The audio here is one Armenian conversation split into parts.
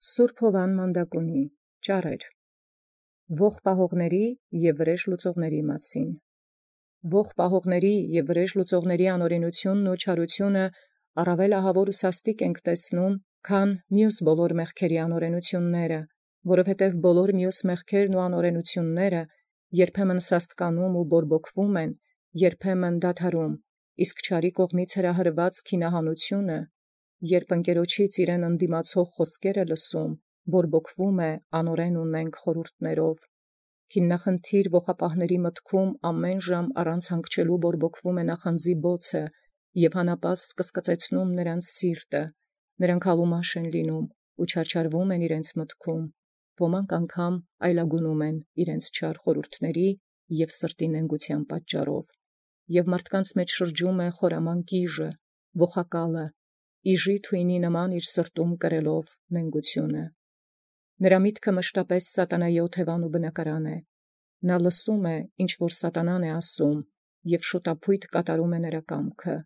Սուրբ Հովան Մանդակունի ճառեր ողջ պահողների և վրեժ լուծողների մասին։ Ողջ պահողների և վրեժ լուծողների անօրենութիւնն ու չարութիւնը առաւել ահաւոր ու սաստիկ ենք տեսնում, քան մյուս բոլոր մեղքերի անօրենութիւնները, որովհետև բոլոր մյուս մեղքերն ու անօրենութիւնները երբեմն սաստկանում ու բորբոքվում են, երբեմն դադարում, իսկ չարի կողմից հրահրված քինահանութիւնը, երբ ընկերոջից իրեն ընդդիմացող խոսքերը լսում, բորբոքվում է անօրեն ունենք խորհուրդներով։ Քիննախնդիր ողապահների մտքում ամեն ժամ առանց հանգչելու բորբոքվում է նախանձի բոցը և հանապազտ կսկծեցնում նրանց սիրտը, նրանք հալումաշ են լինում ու չարչարվում են իրենց մտքում, ոմանք անգամ այլագունում են իրենց չար խորհուրդների և սրտի նենգության պատճառով, և մարդկանց մեջ շրջում է խորաման կիժը, ողակալը, իժի թույնի նման իր սրտում կրելով նենգությունը։ Նրա միտքը մշտապես սատանայի օթևան ու բնակարան է։ Նա լսում է, ինչ որ սատանան է ասում, և շուտապույտ կատարում է նրա կամքը։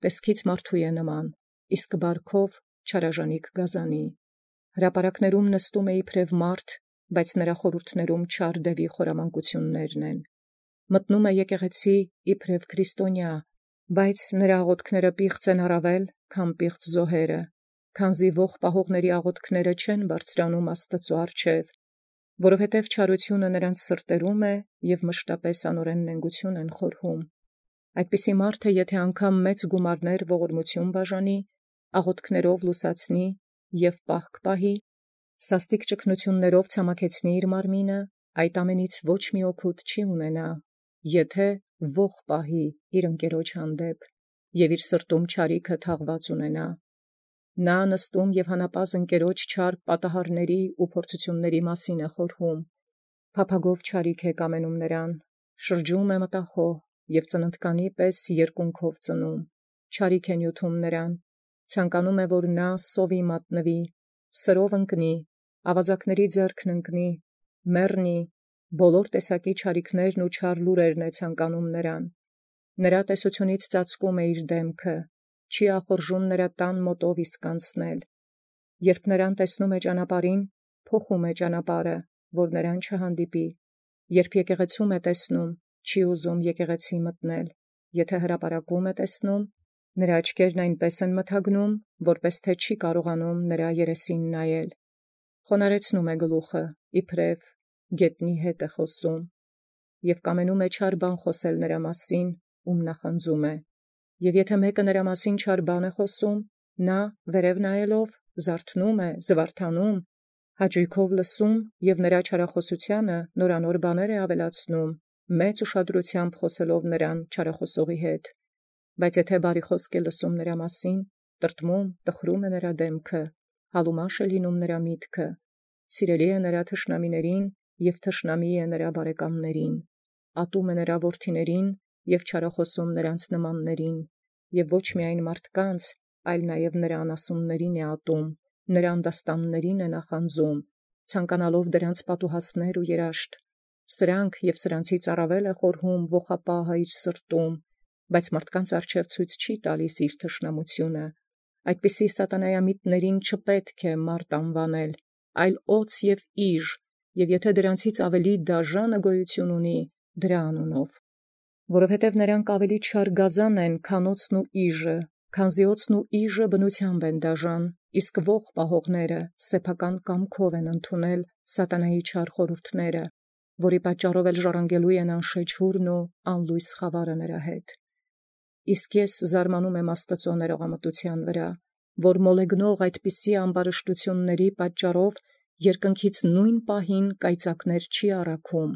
Տեսքից մարդու է նման, իսկ բարքով չարաժանիկ գազանի։ Հրապարակներում նստում է իբրև մարդ, բայց նրա խորհուրդներում չար դևի խորամանկություններն են։ Մտնում է եկեղեցի իբրև քրիստոնյա, բայց նրա աղոթքները պիղծ են առավել, քան պիղծ զոհերը, քանզի ողջ պահողների աղոթքները չեն բարձրանում Աստծու առջև, որովհետև չարութիւնը նրանց սրտերում է և մշտապես անօրեն նենգություն են խորհում։ Այդպիսի մարդը, եթե անգամ մեծ գումարներ ողորմություն բաժանի, աղոթքներով լուսացնի և պահք պահի, սաստիկ ճգնություններով ցամաքեցնի իր մարմինը, այդ ամենից ոչ մի օգուտ չի ունենա, եթե ողջ պահի իր ընկերոջ հանդեպ և իր սրտում չարիքը թաղված ունենա։ Նա նստում և հանապազտ ընկերոջ չար պատահարների ու փորձությունների մասին է խորհում, փափագով չարիք է կամենում նրան, շրջում է մտախոհ և ծննդկանի պես երկունքով ծնում, չարիք է նյութում նրան, ցանկանում է, որ նա սովի մատնվի, սրով ընկնի, ավազակների ձեռքն ընկնի, մեռնի, բոլոր տեսակի չարիքներն ու չար լուրերն է ցանկանում նրան։ Նրա տեսությունից ծածկում է իր դեմքը, չի ախորժում նրա տան մոտով իսկ անցնել։ Երբ նրան տեսնում է ճանապարհին, փոխում է ճանապարհը, որ նրան չհանդիպի։ Երբ եկեղեցում է տեսնում, չի ուզում եկեղեցի մտնել։ Եթե հրապարակում է տեսնում, նրա աչքերն այնպես են մթագնում, որպես թե չի կարողանում նրա երեսին նայել։ Խոնարեցնում է գլուխը, իբրև գետնի հետ է խոսում, և կամենում է չար բան խոսել նրա մասին, ում նախանձում է։ Եվ եթե մեկը նրա մասին չար բան է խոսում, նա վերև նայելով զարթնում է, զվարթանում, հաճոյքով լսում և նրա չարախոսությանը նորանոր բաներ է ավելացնում, մեծ ուշադրությամբ խոսելով նրան չարախոսողի հետ։ Բայց եթե բարի խոսք է լսում նրա մասին, տրտմում, տխրում է նրա դեմքը, հալումաշ է լինում նրա միտքը, սիրելի է նրա թշնամիներին և թշնամի է նրա բարեկամներին, ատում է նրա որդիներին և չարախոսում նրանց նմաններին, և ոչ միայն մարդկանց, այլ նաև նրա անասուններին է ատում, նրա անդաստաններին է նախանձում, ցանկանալով դրանց պատուհասներ ու երաշտ։ Սրանք և սրանցից առավել է խորհում ողապահը իր սրտում, բայց մարդկանց առջև ցույց չի տալիս իր թշնամությունը։ Այդպիսի սատանայամիտներին չպետք է մարդ անվանել, այլ օձ և իժ, և եթե դրանցից ավելի դաժանը գոյություն ունի, դրա անունով։ Որովհետև նրանք ավելի չար գազան են, քան օձն ու իժը, քանզի օձն ու իժը բնությամբ են դաժան, իսկ ողջ պահողները սեփական կամքով են ընդունել սատանայի չար խորհուրդները, որի պատճառով էլ ժառանգելու են անշեջ հուրն ու անլույս խավարը նրա հետ։ Իսկ ես զարմանում եմ Աստծու ներողամտության վրա, որ մոլեգնող այդպիսի ամբարշտությունների պատճառով երկնքից նույն պահին կայծակներ չի առաքում,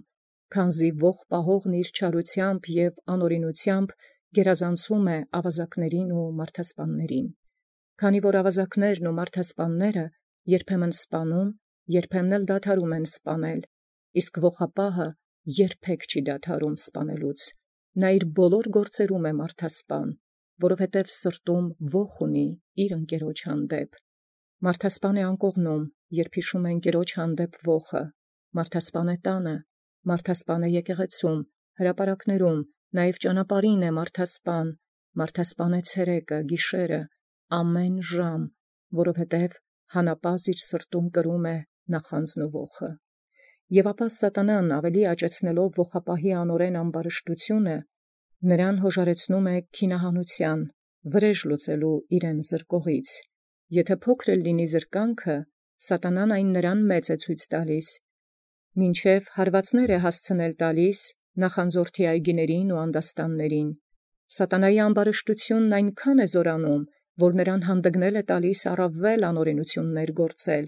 քանզի ողջ պահողն իր չարությամբ և անօրենությամբ գերազանցում է ավազակներին ու մարդասպաններին։ Քանի որ ավազակներն ու մարդասպանները երբեմն սպանում, երբեմն էլ դադարում են սպանել, իսկ ողապահը երբեք չի դադարում սպանելուց։ Նա իր բոլոր գործերում է մարդասպան, որովհետև սրտում ոխ ունի իր ընկերոջ հանդեպ։ Մարդասպան է անկողնում, երբ հիշում է ընկերոջ հանդեպ ոխը, մարդասպան է տանը, մարդասպան է եկեղեցում, հրապարակներում, նաև ճանապարհին է մարդասպան է ցերեկը, գիշերը, ամեն ժամ, որովհետև հանապազն իր սրտում կրում է նախանձն ու ոխը։ Եւ ապա սատանան ավելի աճեցնելով ոխապահի անորեն ամբարշտությունը, նրան հոժարեցնում է քինահանության, վրեժ լուծելու իրեն զրկողից։ Եթե փոքր լինի զրկանքը, սատանան այն նրան մեծ է ցույց տալիս, մինչև հարվածներ է հասցնել տալիս նախանձորդի այգիներին ու անդաստաններին։ Սատանայի ամբարշտությունն այնքան է զորանում, որ նրան հանդգնել է տալիս առավել անօրենություններ գործել,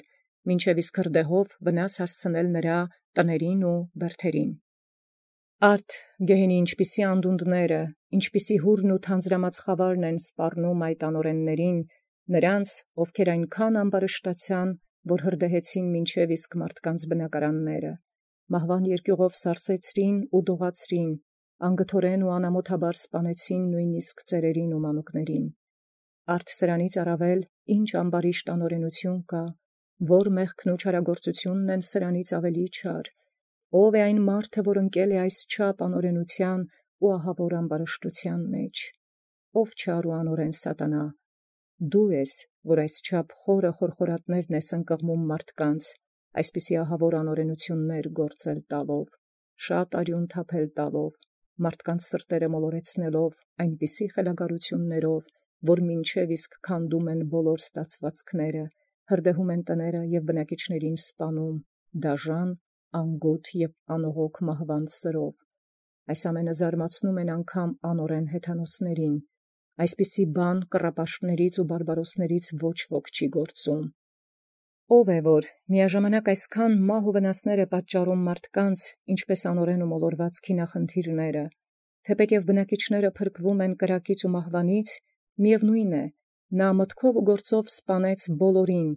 մինչև իսկ հրդեհով վնաս հասցնել նրա տներին ու բերդերին։ Արդ գեհենի ինչպիսի անդունդները, ինչպիսի հուրն ու թանձրամած խավարն են սպառնում այդ անօրեններին, նրանց, ովքեր այնքան ամբարշտացան, որ հրդեհեցին մինչև իսկ մարդկանց բնակարանները, մահվան երկյուղով սարսեցրին ու դողացրին, անգթորեն ու անամոթաբար սպանեցին նույնիսկ ծերերին ու մանուկներին։ Արդ սրանից առավել ինչ ամբարիշտ անօրենություն կա, որ մեղքն ու չարագործությունն են սրանից ավելի չար, ով է այն մարդը, որ ընկել է այս չափ անօրենության ու ահավոր ամբարշտության մեջ, ով չար ու անօրեն սատանա, դու ես, որ այս չափ խորը խորխորատներն ես ընկղմում մարդկանց, այսպիսի ահավոր անօրենություններ գործել տալով, շատ արյուն թափել տալով, մարդկանց սրտերը մոլորեցնելով այնպիսի խելագարություններով, որ մինչև իսկ քանդում են բոլոր ստացվածքները, հրդեհում են տները և բնակիչներին սպանում, դաժան, անգութ և անողոք մահվան սրով։ Այս ամենը զարմացնում են անգամ անօրեն հեթանոսներին, այսպիսի բան կռապաշտներից ու բարբարոսներից ոչ ոք չի գործում։ Ով է, որ միաժամանակ այսքան մահ ու վնասներ է պատճառում մարդկանց, ինչպես անօրեն ու մոլորված քինախնդիրները, թեպետև բնակիչները փրկվում են կրակից ու մահվանից, միևնույն է, նա մտքով ու գործով սպանեց բոլորին,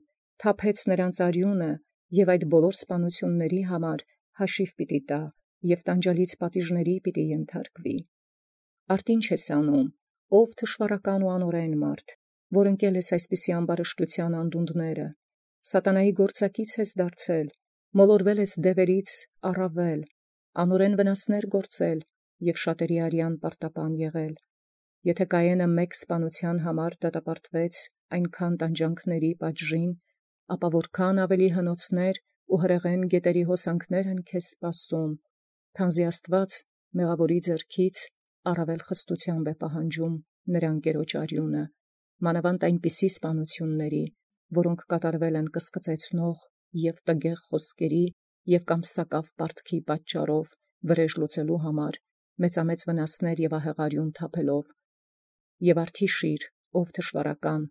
թափեց նրանց արյունը և այդ բոլոր սպանությունների համար հաշիվ պիտի տա և տանջալից պատիժների պիտի ենթարկվի։ Արդ ինչ ես անում, ով թշվառական ու անօրեն մարդ, որ ընկել ես այսպիսի ամբարշտության անդունդները, սատանայի գործակից ես դարձել, մոլորվել ես դևերից առավել, անօրեն վնասներ գործել և շատերի արյան պարտապան եղել։ Եթե Կայենը մեկ սպանության համար դատապարտվեց այնքան տանջանքների պատժին, ապա որքան ավելի հնոցներ ու հրեղեն գետերի հոսանքներ են քեզ սպասում, քանզի Աստված մեղավորի ձեռքից առավել խստությամբ է պահանջում նրա ընկերոջ արյունը, մանավանդ այնպիսի սպանությունների, որոնք կատարվել են կսկծեցնող և տգեղ խոսքերի և կամ սակավ պարտքի պատճառով վրեժ լուծելու համար մեծամեծ վնասներ և ահեղ արյուն թափելով։ Եվ արդիշիր, ով թշվառական,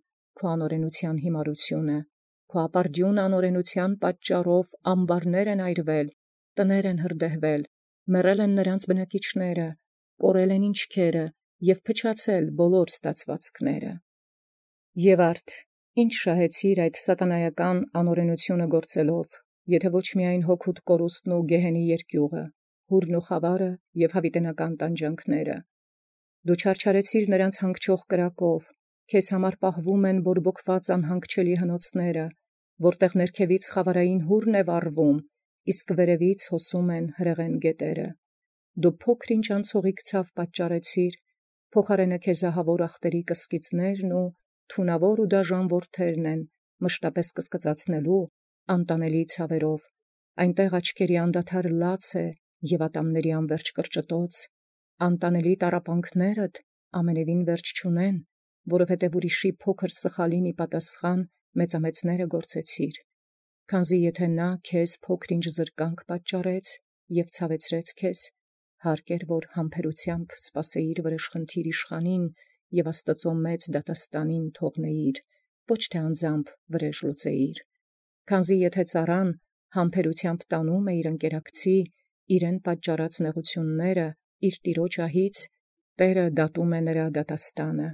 քո անօրենության հիմարությունը, քո ապարդյուն անօրենության պատճառով ամբարներ են այրվել, տներ են հրդեհվել, մեռել են նրանց բնակիչները, կորել են ինչքերը և փչացել բոլոր ստացվածքները։ Եվ արդ, ինչ շահեցիր այդ սատանայական անօրենությունը գործելով, եթե ոչ միայն հոգուտ կորուստն ու գեհենի երկյուղը, հուրն ու խավարը և հավիտենական տանջանքները։ Դու չարչարեցիր նրանց հանգչող կրակով, քեզ համար պահվում են բորբոքված անհանգչելի հնոցները, որտեղ ներքևից խավարային հուրն է վառվում, իսկ վերևից հոսում են հրեղեն գետերը։ Դու փոքր-ինչ անցողիկ ցավ պատճառեցիր, փոխարենը քեզ ահավոր ախտերի կսկիծներն ու թունավոր ու դաժան որդերն են մշտապես կսկծացնելու անտանելի ցավերով, այնտեղ աչքերի անդադար լաց է և ատամների անվերջ կրճտոց, անտանելի տառապանքներդ ամենևին վերջ չունեն, որովհետև ուրիշի փոքր սխալին ի պատասխան մեծամեծները գործեցիր, քանզի եթե նա քեզ փոքր-ինչ զրկանք պատճառեց և ցավեցրեց քեզ, հարկ էր, որ համբերությամբ սպասեիր վրեժխնդիր իշխանին և Աստծո մեծ դատաստանին թողնեիր, ոչ թե անձամբ վրեժ լուծեիր, քանզի եթե ծառան համբերությամբ տանում է իր ընկերակցի իրեն պատճառած նեղությունները իր տիրոջ ահից, Տերը դատում է նրա դատաստանը։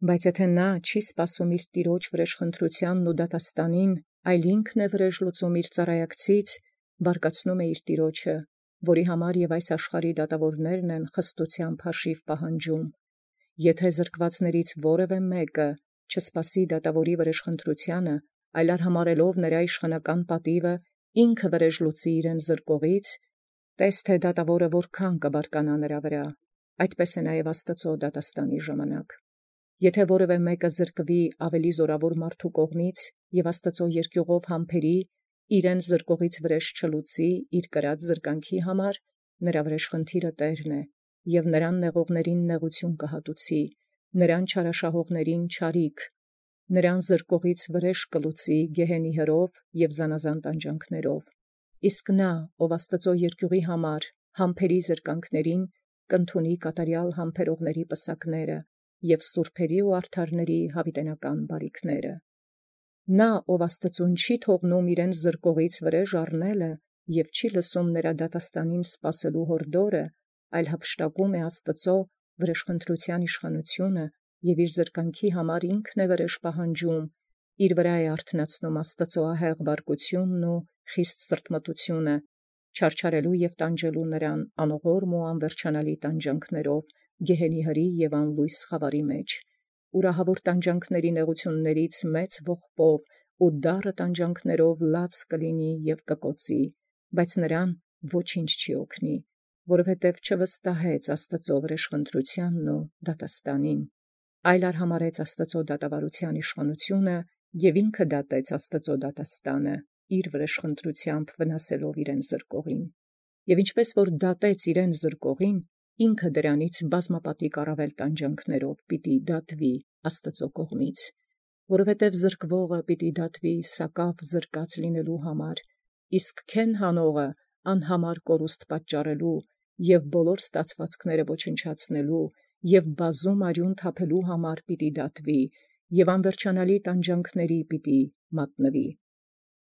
Բայց եթե նա չի սպասում իր տիրոջ վրեժխնդրությանն ու դատաստանին, այլ ինքն է վրեժ լուծում իր ծառայակցից, բարկացնում է իր տիրոջը, որի համար և այս աշխարհի դատավորներն են խստությամբ հաշիվ պահանջում։ Եթե զրկվածներից որևէ մեկը չսպասի դատավորի վրեժխնդրությանը, այլ արհամարհելով նրա իշխանական պատիվը, ինքը վրեժ լուծի իրեն զրկողից, տես թե դատավորը որքան կբարկանա նրա վրա, այդպես է նաև Աստծո դատաստանի ժամանակ։ Եթե որևէ մեկը զրկվի ավելի զորավոր մարդու կողմից եւ Աստուծոյ երկյուղով համբերի, իրեն զրկողից վրեժ չլուծի իր կրած զրկանքի համար, նրա վրեժ խնդիրը Տերն է, եւ նրան նեղողներին նեղություն կհատուցի, նրան չարաշահողներին չարիք, նրան զրկողից վրեժ կլուծի գեհենի հրով եւ զանազան տանջանքներով։ Իսկ նա, ով Աստուծոյ երկյուղի համար համբերի զրկանքներին, կընդունի կատարյալ համբերողների պսակները եւ սուրբերի ու արդարների յաւիտենական բարիքները։ Նա, ով Աստծուն չի թողնում իրեն զրկողից վրեժ առնելը եւ չի լսում նրա դատաստանին սպասելու հորդորը, այլ հափշտակում է Աստծո վրեժխնդրության իշխանությունը եւ իր զրկանքի համար ինքն է վրեժ պահանջում, իր վրա է արթնացնում Աստծո ահեղ բարկությունն ու խիստ սրտմտությունը, չարչարելու եւ տանջելու նրան անողորմ ու անվերջանալի տանջանքներով գեհենի հրի եւ անլույս խավարի մեջ, ուրահավոր տանջանքների նեղություններից մեծ ողբով ու դառը տանջանքներով լաց կլինի եւ կկոծի, բայց նրան ոչինչ չի օգնի, որովհետև չվստահեց Աստծո վրեժխնդրությանն ու դատաստանին, այլ արհամարհեց Աստծո դատավարության իշխանությունը եւ ինքը դատեց Աստծո դատաստանը, իր վրեժխնդրությամբ վնասելով իրեն զրկողին, եւ ինչպես որ դատեց իրեն զրկողին, ինքը դրանից բազմապատիկ առավել տանջանքներով պիտի դատվի Աստծո կողմից, որովհետև զրկվողը պիտի դատվի սակավ զրկած լինելու համար, իսկ քեն հանողը անհամար կորուստ պատճառելու եւ բոլոր ստացվածքները ոչնչացնելու եւ բազում արյուն թափելու համար պիտի դատվի եւ անվերջանալի տանջանքների պիտի մատնվի։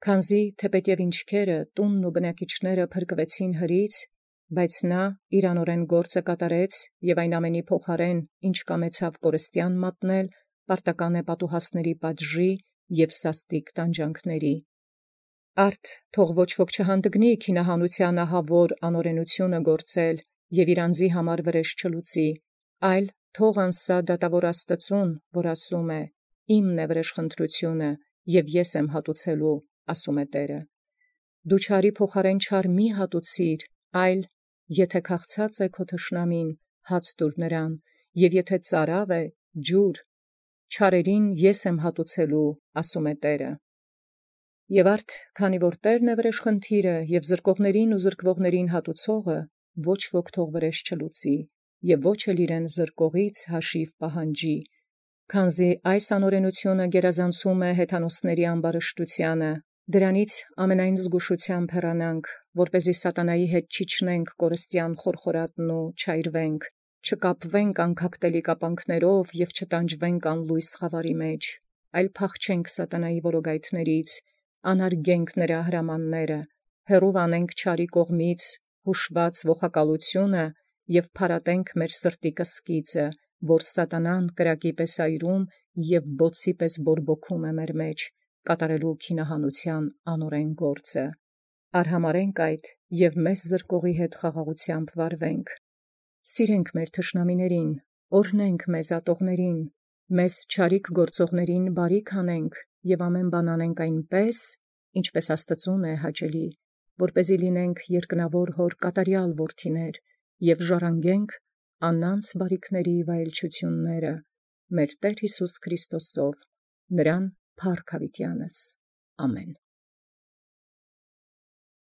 Քանզի թեպետև ինչքերը տունն ու բնակիչները փրկվեցին հրից, բայց նա իր անօրեն գործը կատարեց եւ այն ամենի փոխարեն, ինչ կամեցավ կորստյան մատնել, պարտական է պատուհասների պատժի եւ սաստիկ տանջանքների։ Արդ թող ոչ ոք չհանդգնի քինահանության ահավոր անօրենությունը գործել եւ իր անձի համար վրեժ չլուծի, այլ թող անսա դատավոր Աստծուն, որ ասում է. «Իմն է վրեժխնդրությունը, եւ ես եմ հատուցելու», ասում է Տերը։ Դու չարի փոխարեն չար մի հատուցիր, այլ եթե քաղցած է քո թշնամին, հաց տուր նրան, եւ եթե ծարավ է, ջուր, չարերին ես եմ հատուցելու, ասում է Տերը։ Եւ արդ քանի որ Տերն է վրեժխնդիրը եւ զրկողներին ու զրկվողներին հատուցողը, ոչ ոք թող վրեժ չլուծի եւ ոչ էլ իրեն զրկողից հաշիվ պահանջի, քանզի այս անօրենությունը գերազանցում է հեթանոսների ամբարշտությանը, դրանից ամենայն զգուշությամբ հեռանանք, որպեսզի սատանայի հետ չիջնենք կորստյան խորխորատն ու չայրվենք, չկապվենք անքակտելի կապանքներով եւ չտանջվենք անլույս խավարի մեջ, այլ փախչենք սատանայի որոգայթներից, անարգենք նրա հրամանները, հեռու անենք չարի կողմից հուշված ողակալությունը եւ փարատենք մեր սրտի կսկիծը, որ սատանան կրակի պես այրում եւ բոցի պես բորբոքում է մեր մեջ, կատարելու քինահանության անօրեն գործը։ Արհամարենք այդ եւ մեզ զրկողի հետ խաղաղությամբ վարվենք։ Սիրենք մեր թշնամիներին, օրհնենք մեզ ատողներին, մեզ չարիք գործողներին բարիք անենք եւ ամեն բան անենք այնպես, ինչպես Աստծուն է հաճելի, որպեսզի լինենք երկնավոր հոր կատարյալ որդիներ եւ ժառանգենք անանց բարիքների վայելչությունները մեր Տեր Հիսուս Քրիստոսով, նրան փառք հավիտյանս։ Ամեն։